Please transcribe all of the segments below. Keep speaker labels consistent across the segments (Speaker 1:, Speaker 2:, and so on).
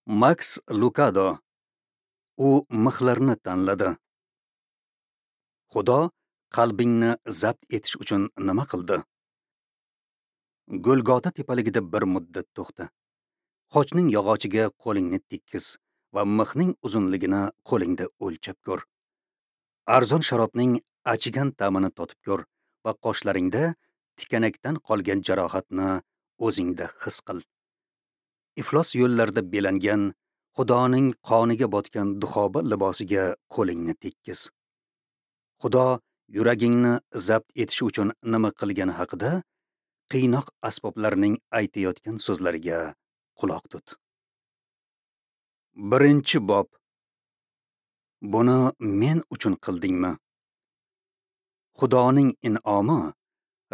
Speaker 1: Maks Lukado. U mixlarni tanladi. Xudo qalbingni zabt etish uchun nima qildi? Golgota tepaligida bir muddat to'xta. Xochning yog'ochiga qo'lingni tekkiz va mixning uzunligini qo'lingda o'lchab ko'r. Arzon sharobning achigan ta'mini totib ko'r va qoshlaringda tikanakdan qolgan jarohatni o'zingda his qil. Iflos yo'llarda belangan, Xudoning qoniga botgan duxoba libosiga qo'lingni tekkiz. Xudo yuragingni zabt etish uchun nima qilgani haqida qiynoq asboblarining aytayotgan so'zlariga quloq tut. 1-bob. Buni men uchun qildingmi? Xudoning in'omi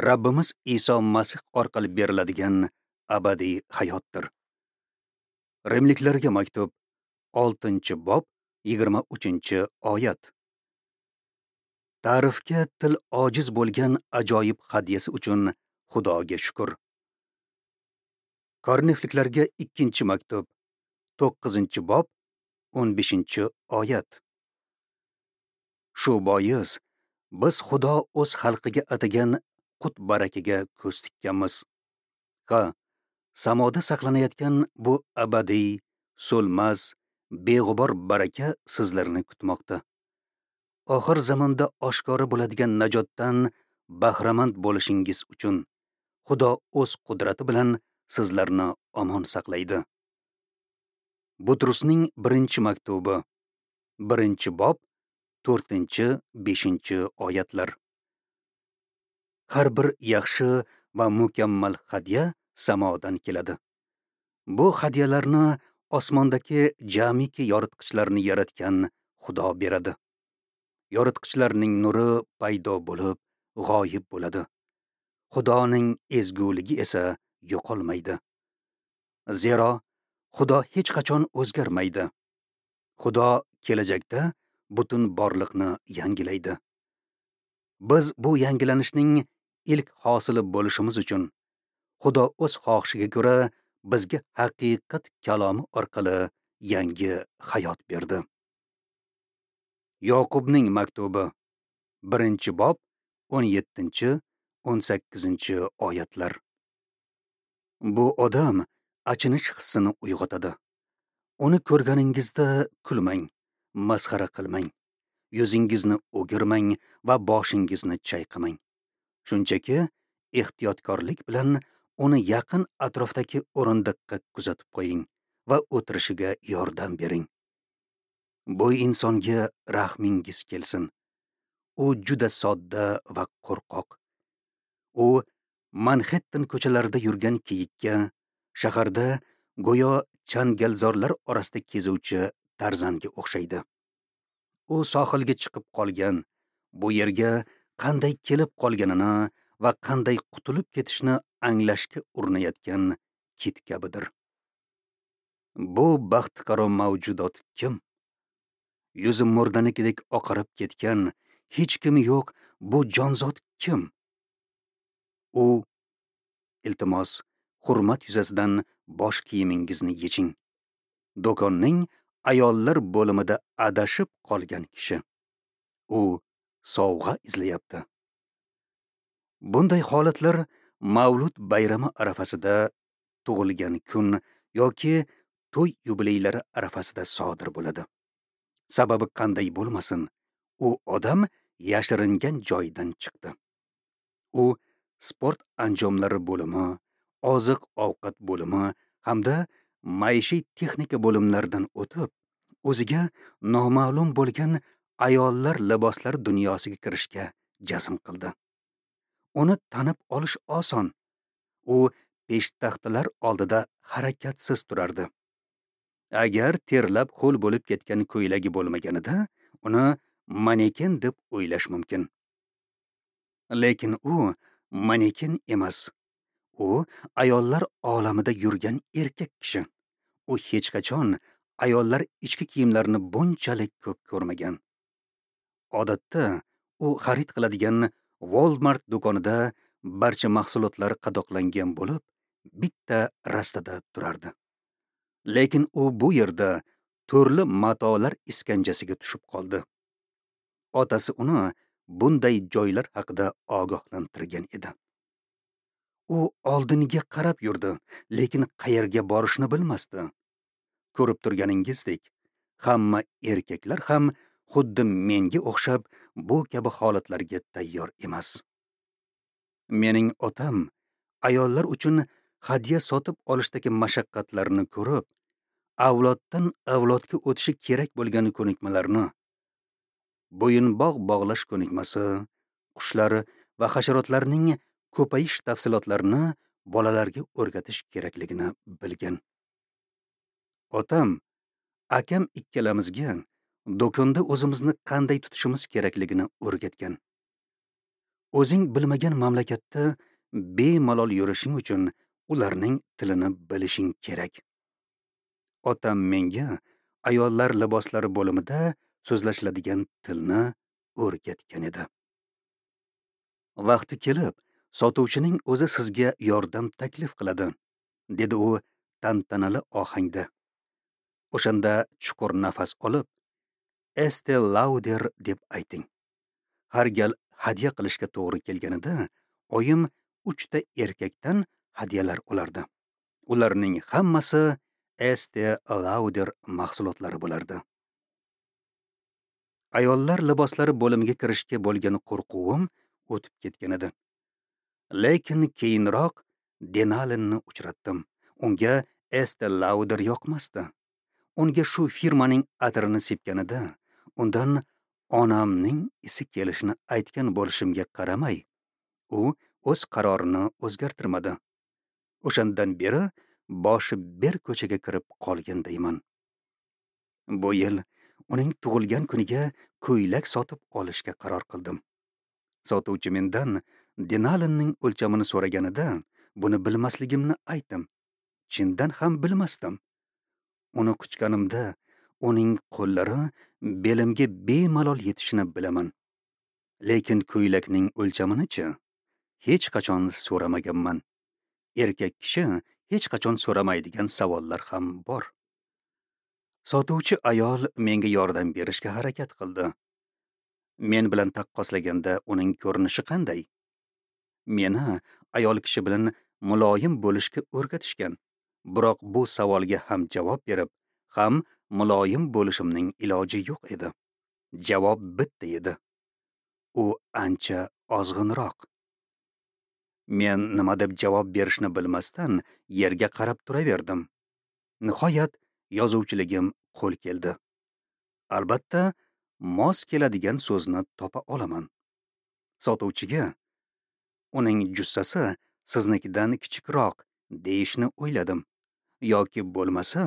Speaker 1: Rabbimiz Iso Masih orqali beriladigan abadiy hayotdir. Rimliklarga maktub 6-bob 23-oyat. Ta'rifga til ojiz bo'lgan ajoyib hadyasi uchun Xudoga shukr. Korinfliklarga 2-maktub 9-bob 15-oyat. Shu bois biz Xudo o'z xalqiga atagan qut barakaga ko'z tikkanmiz. Ha, samoda saqlanayotgan bu abadiy, so'lmas, beg'ubor baraka sizlarni kutmoqda. Oxir zamonda oshkora bo'ladigan najotdan bahramand bo'lishingiz uchun Xudo o'z qudrati bilan sizlarni omon saqlaydi. Butrusning 1-maktubi, 1-bob, 4-5 oyatlar. Har bir yaxshi va mukammal hadya samodan keladi. Bu hadyalarni osmondagi jamiki yoritqichlarni yaratgan Xudo beradi. Yoritqichlarning nuri paydo bo'lib, g'oyib bo'ladi. Xudoning ezguligi esa yo'qolmaydi. Zero Xudo hech qachon o'zgarmaydi. Xudo kelajakda butun borliqni yangilaydi. Biz bu yangilanishning ilk hosili bo'lishimiz uchun Xudo o'z xohishiga ko'ra bizga haqiqat kalomi orqali yangi hayot berdi. Yoqubning maktubi 1-bob 17-18 oyatlar. Bu odam achinish hissini uyg'otadi. Uni ko'rganingizda kulmang, masxara qilmang, yuzingizni o'girmang va boshingizni chayqamang. Shunchaki ehtiyotkorlik bilan uni yaqin atrofdagi o'rindiqqa kuzatib qo'ying va o'tirishiga yordam bering. Bu insonga rahmingiz kelsin. U juda sodda va qo'rqoq. U Manhattan ko'chalarida yurgan kiyikka, shaharda go'yo changalzorlar orasida kezuvchi Tarzanga o'xshaydi. U sohilga chiqib qolgan, bu yerga qanday kelib qolganini va qanday qutulib ketishni anglashga urinayotgan kit kabidir. Bu baxtiqaro mavjudot kim? Yuzi murdanikidek oqarib ketgan, hech kimi yo'q bu jonzot kim? U, iltimos, hurmat yuzasidan bosh kiyimingizni yeching. Do'konning ayollar bo'limida adashib qolgan kishi. U sovg'a izlayapti. Bunday holatlar Mavlud bayrami arafasida, tug'ilgan kun yoki to'y yubileylari arafasida sodir bo'ladi. Sababi qanday bo'lmasin, u odam yashiringan joyidan chiqdi. U sport anjomlari bo'limi, oziq-ovqat bo'limi hamda maishiy texnika bo'limlaridan o'tib, o'ziga noma'lum bo'lgan ayollar liboslari dunyosiga kirishga jazm qildi. Uni tanib olish oson. U peshtaxtalar oldida harakatsiz turardi. Agar terlab ho'l bo'lib ketgan ko'ylagi bo'lmaganida, uni maneken deb o'ylash mumkin. Lekin u maneken emas. U ayollar olamida yurgan erkak kishi. U hech qachon ayollar ichki kiyimlarini bunchalik ko'p ko'rmagan. Odatda u xarid qiladigan Walmart do'konida barcha mahsulotlar qadoqlangan bo'lib, bitta rastada turardi. Lekin u bu yerda turli matolar iskanjasiga tushib qoldi. Otasi uni bunday joylar haqida ogohlantirgan edi. U oldiniga qarab yurdi, lekin qayerga borishni bilmasdi. Ko'rib turganingizdek, hamma erkaklar ham xuddi menga o'xshab bu kabi holatlarga tayyor emas. Mening otam ayollar uchun hadya sotib olishdagi mashaqqatlarni ko'rib, avloddan avlodga o'tishi kerak bo'lgan ko'nikmalarni, bo'yinbog' bog'lash ko'nikmasi, qushlar va hasharotlarning ko'payish tafsilotlarini bolalarga o'rgatish kerakligini bilgan. Otam, akam ikkalamizga do'konda o'zimizni qanday tutishimiz kerakligini o'rgatgan. O'zing bilmagan mamlakatda bemalol yurishing uchun ularning tilini bilishing kerak. Otam menga ayollar liboslari bo'limida so'zlashiladigan tilni o'rgatgan edi. Vaqti kelib, sotuvchining o'zi sizga yordam taklif qiladi, dedi u tantanali ohangda. O'shanda chuqur nafas olib, Estee Lauder deb ayting. Har gal hadya qilishga to'g'ri kelganida, oyim 3 ta erkakdan hadyalar olardi. Ularning hammasi Estee Lauder mahsulotlari bo'lardi. Ayollar liboslari bo'limiga kirishga bo'lgan qo'rquvim o'tib ketgan edi. Lekin keyinroq Denalinni uchratdim. Unga Estee Lauder yoqmasdi. Unga shu firmaning atirini sepganida, undan onamning isi kelishini aytgan bo'lishimga qaramay, u o'z qarorini o'zgartirmadi. O'shandan beri boshi ber ko'chaga kirib qolgandayman. Bu yil uning tug'ilgan kuniga ko'ylak sotib olishga qaror qildim. Sotuvchi mendan Denalinning o'lchamini so'raganida, buni bilmasligimni aytdim. Chindan ham bilmasdim. Uni quchganimda uning qo'llari belimga bemalol yetishini bilaman. Lekin ko'ylakning o'lchamini-chi hech qachon so'ramaganman. Erkak kishi hech qachon so'ramaydigan savollar ham bor. Sotuvchi ayol menga yordam berishga harakat qildi. Men bilan taqqoslaganda uning ko'rinishi qanday? Meni ayol kishi bilan muloyim bo'lishga o'rgatishgan. Biroq bu savolga ham javob berib, ham muloyim bo'lishimning iloji yo'q edi. Javob bitta edi. U ancha ozg'inroq. Men nima deb javob berishni bilmasdan yerga qarab turaverdim. Nihoyat yozuvchiligim qo'l keldi. Albatta, mos keladigan so'zni topa olaman. Sotuvchiga uning jussasi siznikidan kichikroq deyishni o'yladim. Yoki bo'lmasa,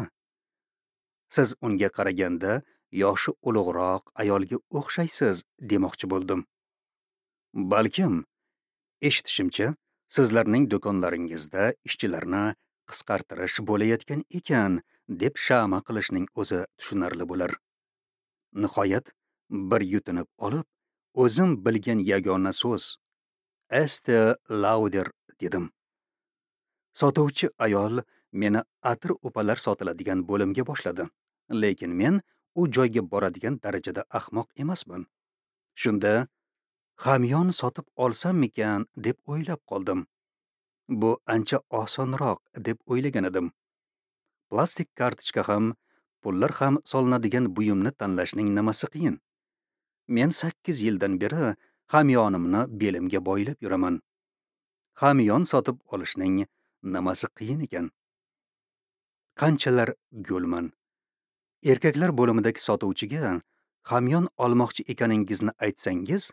Speaker 1: siz unga qaraganda yoshi ulug'roq ayolga o'xshaysiz demoqchi bo'ldim. Balkim, eshitishimcha, sizlarning do'konlaringizda ishchilarni qisqartirish bo'layotgan ekan, deb shama qilishning o'zi tushunarli bo'lar. Nihoyat bir yutinib olib, o'zim bilgan yagona so'z Estee Lauder dedim. Sotuvchi ayol meni atir upalar sotiladigan bo'limga boshladi. Lekin men u joyga boradigan darajada ahmoq emasman. Shunda hamyon sotib olsammikan deb o'ylab qoldim. Bu ancha osonroq deb o'ylagan edim. Plastik kartochka ham, pullar ham solinadigan buyumni tanlashning nimasi qiyin? Men 8 yildan beri hamyonimni belimga boylab yuraman. Hamyon sotib olishning nimasi qiyin ekan? Qanchalar go'lman. Erkaklar bo'limidagi sotuvchiga hamyon olmoqchi ekaningizni aytsangiz,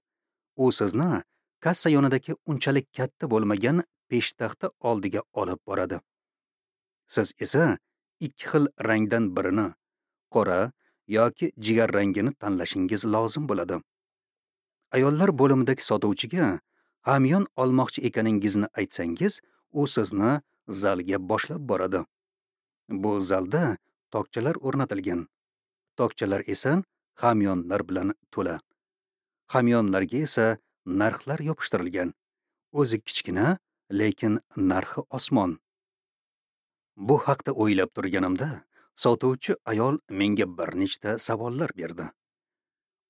Speaker 1: u sizni kassa yonidagi unchalik katta bo'lmagan peshtaxta oldiga olib boradi. Siz esa 2 xil rangdan birini, qora yoki jigar rangini tanlashingiz lozim bo'ladi. Ayollar bo'limidagi sotuvchiga hamyon olmoqchi ekaningizni aytsangiz, u sizni zalga boshlab boradi. Bu zalda tokchalar o'rnatilgan. Tokchalar esa hamyonlar bilan to'la. Hamyonlarga esa narxlar yopishtirilgan. O'zi kichkina, lekin narxi osmon. Bu haqda o'ylab turganimda, Sotuvchi ayol menga bir nechta savollar berdi.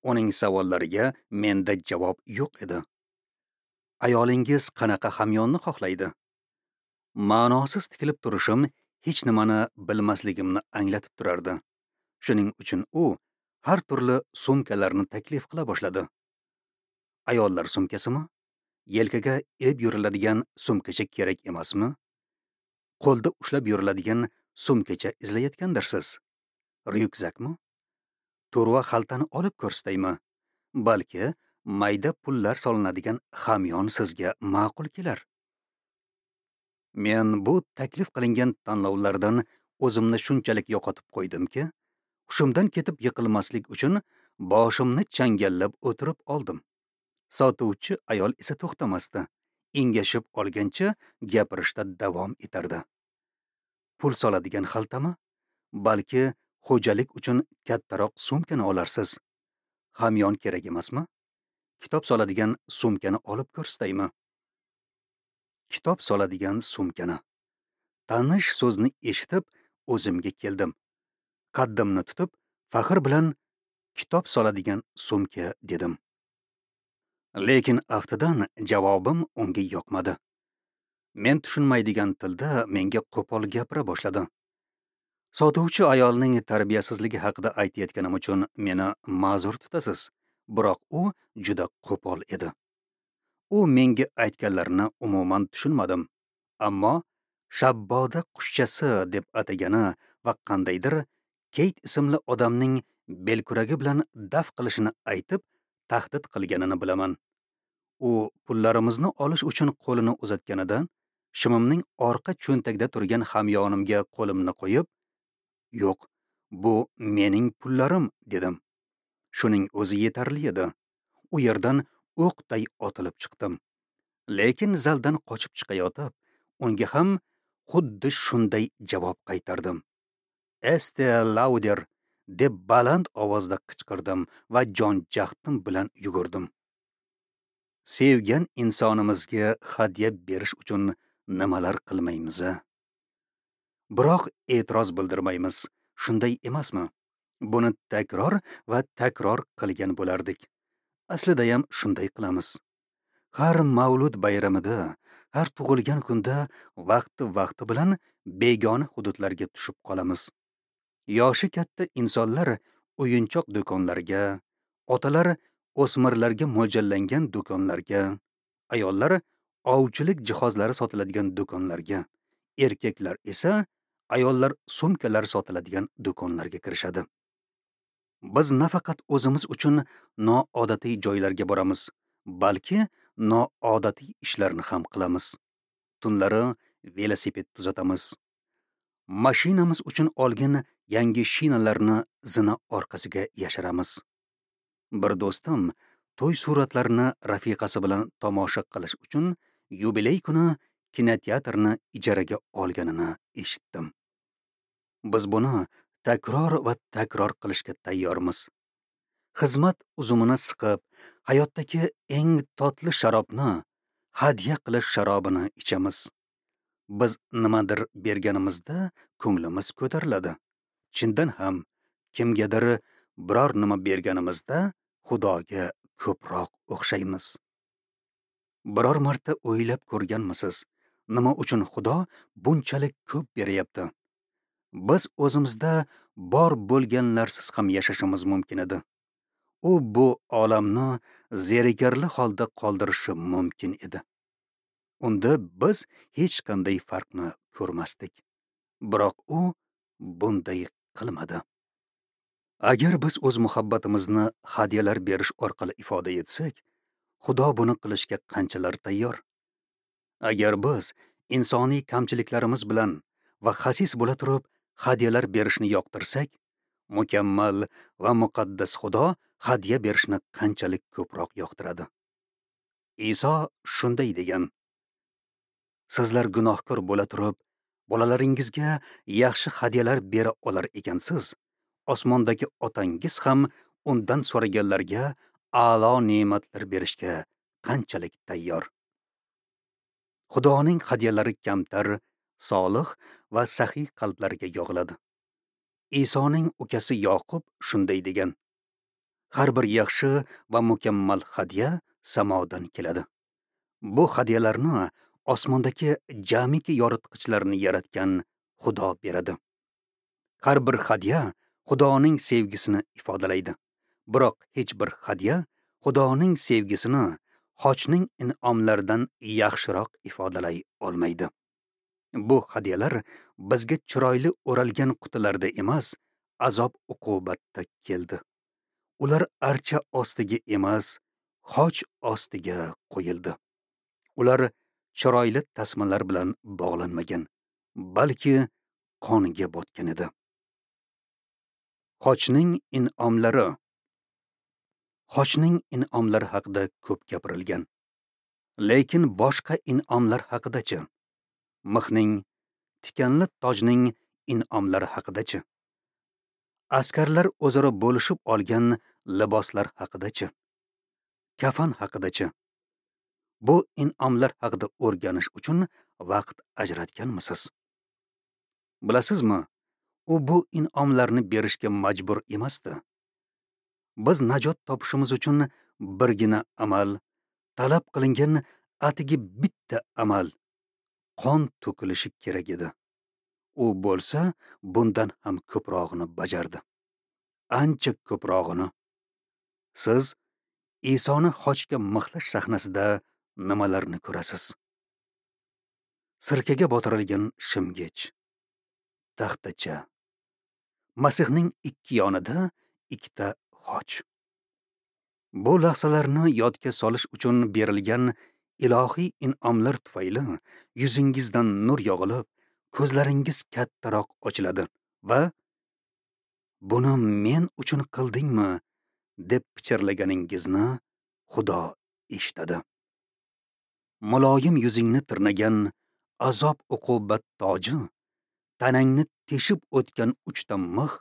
Speaker 1: Uning savollariga menda javob yo'q edi. Ayolingiz qanaqa hamyonni xohlaydi? Ma'nosiz tikilib turishim hech nimani bilmasligimni anglatib turardi. Shuning uchun u har turli sumkalarni taklif qila boshladi. Ayollar sumkasimi? Yelkaga ilib yuriladigan sumkacha kerak emasmi? Qo'lda ushlab yuriladigan sumkacha izlayotgandirsiz? Ryukzakmi? To'rva xaltani olib ko'rsataymi? Balki mayda pullar solinadigan hamyon sizga ma'qul kelar. Men bu taklif qilingan tanlovlardan o'zimni shunchalik yo'qotib qo'ydimki, hushimdan ketib yiqilmaslik uchun boshimni changallab o'tirib oldim. Sotuvchi ayol esa to'xtamasdi, engashib olgancha gapirishda davom etardi. Pul soladigan xaltami? Balki xo'jalik uchun kattaroq sumkani olarsiz. Hamyon kerak emasmi? Kitob soladigan sumkani olib ko'rsataymi? Kitob soladigan sumkani. Tanish so'zni eshitib o'zimga keldim. Qaddimni tutib, faxr bilan kitob soladigan sumka dedim. Lekin aftidan javobim unga yoqmadi. Men tushunmaydigan tilda menga qo'pol gapira boshladi. Sotuvchi ayolning tarbiyasizligi haqida aytayotganim uchun meni ma'zur tutasiz, biroq u juda qo'pol edi. U menga aytganlarini umuman tushunmadim, ammo shabboda qushchasi deb atagani va qandaydir Keyt ismli odamning belkuragi bilan daf qilishini aytib tahdid qilganini bilaman. U pullarimizni olish uchun qo'lini uzatganida, shimimning orqa cho'ntagida turgan hamyonimga qo'limni qo'yib, "Yo'q, bu mening pullarim" dedim. Shuning o'zi yetarli edi. U yerdan o'qday otilib chiqdim. Lekin zaldan qochib chiqayotib, unga ham xuddi shunday javob qaytardim. "Este Lauder" deb baland ovozda qichqirdim va jon jahdim bilan yugurdim. Sevgan insonimizga hadya berish uchun nimalar qilmaymiz-a? Biroq e'tiroz bildirmaymiz, shunday emasmi? Buni takror va takror qilgan bo'lardik. Aslida ham shunday qilamiz. Har mavlud bayramida, har tug'ilgan kunda vaqti-vaqti bilan begona hududlarga tushib qolamiz. Yoshi katta insonlar o'yinchoq do'konlarga, otalar o'smirlarga mo'ljallangan do'konlarga, ayollar ovchilik jihozlari sotiladigan do'konlarga, erkaklar esa ayollar sumkalar sotiladigan do'konlarga kirishadi. Biz nafaqat o'zimiz uchun noodatiy joylarga boramiz, balki noodatiy ishlarni ham qilamiz. Tunlari velosiped tuzatamiz. Mashinamiz uchun olgan yangi shinalarni zina orqasiga yashiramiz. Bir do'stim to'y suratlarini rafiqasi bilan tomosha qilish uchun yubiley kuni kinoteatrni ijaraga olganini eshitdim. Biz buni takror va takror qilishga tayyormiz. Xizmat uzumini siqib, hayotdagi eng totli sharobni, hadya qilish sharobini ichamiz. Biz nimadir berganimizda ko'nglimiz ko'tariladi. Chindan ham kimgadir biror nima berganimizda Xudoga ko'proq o'xshaymiz. Biror marta o'ylab ko'rganmisiz, nima uchun Xudo bunchalik ko'p beryapti? Biz o'zimizda bor bo'lganlarsiz ham yashashimiz mumkin edi. U bu olamni zerikarli holda qoldirishi mumkin edi. Unda biz hech qanday farqni ko'rmasdik. Biroq u bunday qilmadi. Agar biz o'z muhabbatimizni hadyalar berish orqali ifoda etsak, Xudo buni qilishga qanchalar tayyor? Agar biz insoniy kamchiliklarimiz bilan va xasis bo'la turib hadyalar berishni yoqtirsak, mukammal va muqaddas Xudo hadya berishni qanchalik ko'proq yoqtiradi. Iso shunday degan: Sizlar gunohkor bo'la turib, bolalaringizga yaxshi hadyalar bera olar ekansiz, osmondagi otangiz ham undan so'raganlarga a'lo ne'matlar berishga qanchalik tayyor. Xudoning hadyalari kamtar, solih va saxiy qalblarga yog'iladi. Isoning ukasi Yoqub shunday degan: Har bir yaxshi va mukammal hadya samodan keladi. Bu hadyalarni osmondagi jamiki yoritqichlarni yaratgan Xudo beradi. Har bir hadya Xudoning sevgisini ifodalaydi. Biroq hech bir hadya Xudoning sevgisini xochning in'omlaridan yaxshiroq ifodalay olmaydi. Bu hadyalar bizga chiroyli o'ralgan qutilarda emas, azob uqubatda keldi. Ular archa ostiga emas, xoch ostiga qo'yildi. Ular chiroyli tasmalar bilan bog'lanmagan, balki qonga botgan edi. Xochning in'omlari. Xochning in'omlari haqida ko'p gapirilgan. Lekin boshqa in'omlar haqidachi? Mixning, tikanli tojning in'omlari haqidachi? Askarlar o'zaro bo'lishib olgan liboslar haqidachi? Kafan haqidachi? Bu in'omlar haqida o'rganish uchun vaqt ajratganmisiz? Bilasizmi, u bu in'omlarni berishga majbur emasdi. Biz najot topishimiz uchun birgina amal, talab qilingan atigi bitta amal, qon to'kilishi kerak edi. U bo'lsa, bundan ham ko'prog'ini bajardi. Ancha ko'prog'ini. Siz Isoni xochga mixlash sahnasida nimalarni ko'rasiz? Sirkaga botirilgan shimgich, taxtacha, Masihning ikki yonida ikkita xoch. Bu lahzalarni yodga solish uchun berilgan ilohiy in'omlar tufayli yuzingizdan nur yog'ilib, ko'zlaringiz kattaroq ochiladi va "Buni men uchun qildingmi?" deb pichirlaganingizni Xudo eshitadi. Muloyim yuzingni tirnagan azob uqubat toji, tanangni teshib o'tgan uchta mix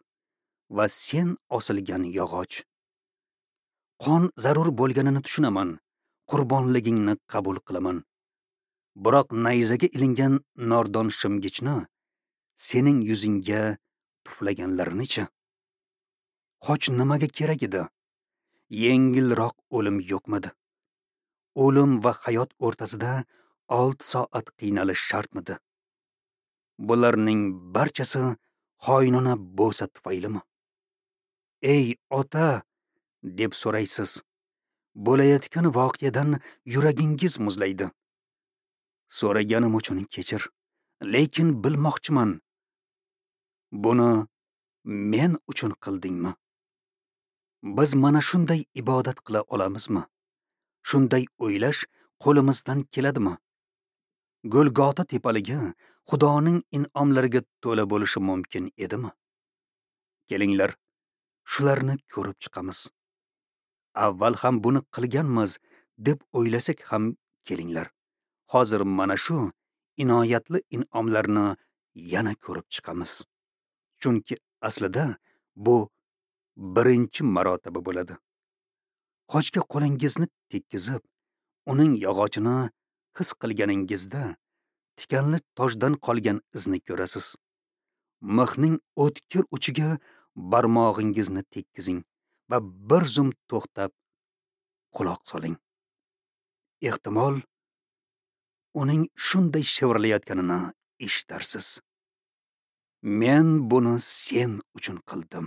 Speaker 1: va sen osilgan yog'och. Qon zarur bo'lganini tushunaman, qurbonligingni qabul qilaman. Biroq nayzaga ilingan nordon shimgichni sening yuzingga tuflaganlarinichi? Xoch nimaga kerak edi? Yengilroq o'lim yo'qmidi? O'lim va hayot o'rtasida 6 soat qiynalish shartmidi? Bularning barchasi xoinona bo'sa tufaylimi? Ey ota, deb so'raysiz. Bo'layotgan voqeadan yuragingiz muzlaydi. So'raganim uchun kechir, lekin bilmoqchiman. Buni men uchun qildingmi? Biz mana shunday ibodat qila olamizmi? Shunday o'ylash qo'limizdan keladimi? Golgota tepaligi Xudoning in'omlariga to'la bo'lishi mumkin edimi? Kelinglar, shularni ko'rib chiqamiz. Avval ham buni qilganmiz deb o'ylasak ham kelinglar. Hozir mana shu inoyatli in'omlarni yana ko'rib chiqamiz. Chunki aslida bu birinchi marotaba bo'ladi. Xochga qo'lingizni tekkizib, uning yog'ochini his qilganingizda tikanli tojdan qolgan izni ko'rasiz. Mixning o'tkir uchiga barmog'ingizni tekkizing va bir zum to'xtab quloq soling. Ehtimol uning shunday shivirlayotganini eshitarsiz. Men buni sen uchun qildim.